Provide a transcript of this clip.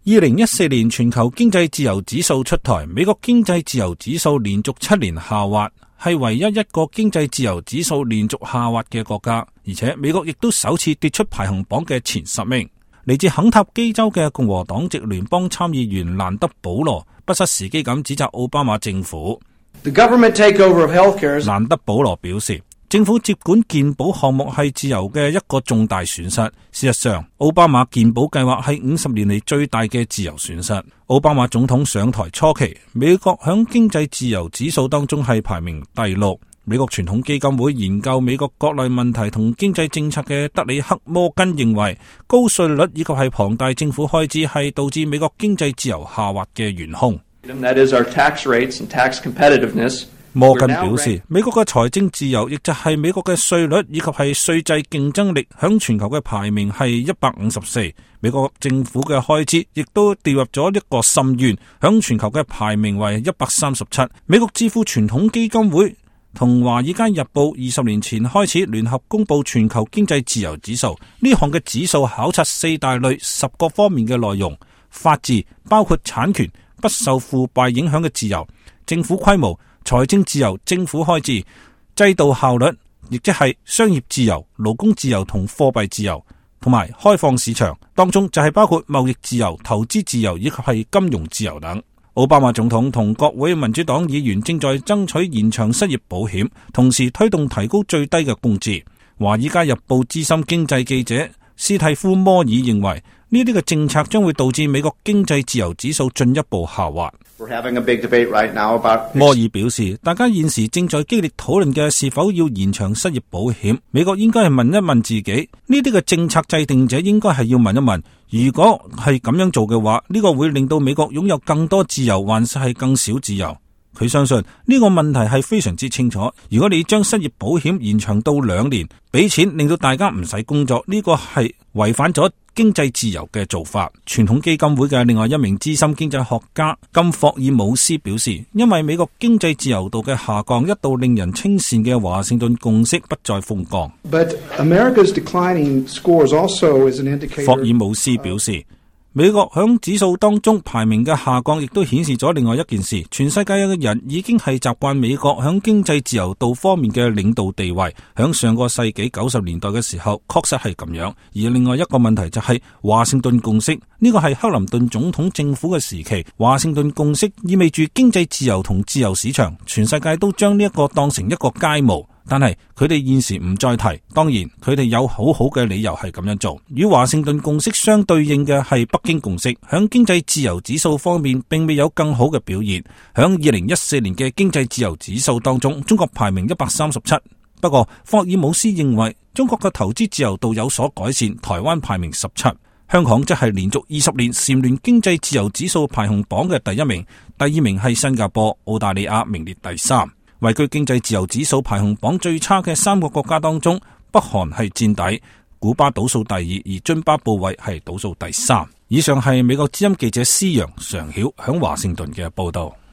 2014年全球經濟自由指數出台，美國經濟自由指數連續7年下滑，係唯一一個經濟自由指數連續下滑嘅國家，而且美國亦都首次跌出排行榜嘅前10名。嚟自肯塔基州嘅共和黨籍聯邦參議員蘭德保羅不失時機咁指責奧巴馬政府。蘭德保羅表示，政府接管健保項目係自由嘅一個重大損失。事實上，奧巴馬健保計劃係50年嚟最大嘅自由損失。奧巴馬總統上台初期，美國響經濟自由指數當中係排名第6。美國傳統基金會研究美國國內問題同經濟政策嘅德里克摩根認為，高稅率以及係龐大政府開支係導致美國經濟自由下滑嘅元兇。摩根表示，美國嘅財政自由，亦就係美國嘅稅率以及係稅制競爭力，響全球嘅排名係154。美國政府嘅開支亦都掉入咗一個深淵，響全球嘅排名為137。美國智庫傳統基金會同華爾街日報20年前開始聯合公布全球經濟自由指數，呢項嘅指數考察4大類10個方面嘅內容：法治，包括產權、不受腐敗影響嘅自由、政府規模、財政自由、政府開支、制度效率，亦即係商業自由、勞工自由同貨幣自由，同埋開放市場，當中就係包括貿易自由、投資自由以及係金融自由等。奧巴馬總統同國會民主黨議員正在爭取延長失業保險，同時推動提高最低嘅工資。華爾街日報資深經濟記者斯蒂夫摩爾認為，呢啲嘅政策將會導致美國經濟自由指數進一步下滑。摩爾表示，大家現時正在激烈討論嘅是否要延長失業保險。美國應該係問一問自己，呢啲嘅政策制定者應該係要問一問，如果係咁樣做嘅話，呢個會令到美國擁有更多自由，還是係更少自由？佢相信呢個問題係非常之清楚。如果你將失業保險延長到2年，俾錢令到大家唔使工作，呢個係違反咗經濟自由嘅做法。傳統基金會嘅另外一名資深經濟學家金霍爾姆斯表示，因為美國經濟自由度嘅下降，一度令人稱羨嘅華盛頓共識不再風光。霍爾姆斯表示，美國響指數當中排名嘅下降，亦都顯示咗另外一件事：全世界嘅人已經係習慣美國響經濟自由度方面嘅領導地位。響上個世紀90年代嘅時候，確實係咁樣。而另外一個問題就係華盛頓共識，呢個係克林頓總統政府嘅時期。華盛頓共識意味住經濟自由同自由市場，全世界都將呢一個當成一個楷模。但係佢哋現時唔再提，當然佢哋有好好嘅理由係咁樣做。與華盛頓共識相對應嘅係北京共識，響經濟自由指數方面並未有更好嘅表現。響2014年嘅經濟自由指數當中，中國排名137。不過霍爾姆斯認為中國嘅投資自由度有所改善，台灣排名17。香港則係連續20年蟬聯經濟自由指數排行榜嘅第1名，第2名係新加坡，澳大利亞名列第3。位居經濟自由指數排行榜最差嘅3個國家當中，北韓係墊底，古巴倒數第2，而津巴布韋係倒數第3。以上係美國之音記者施陽常曉響華盛頓嘅報道。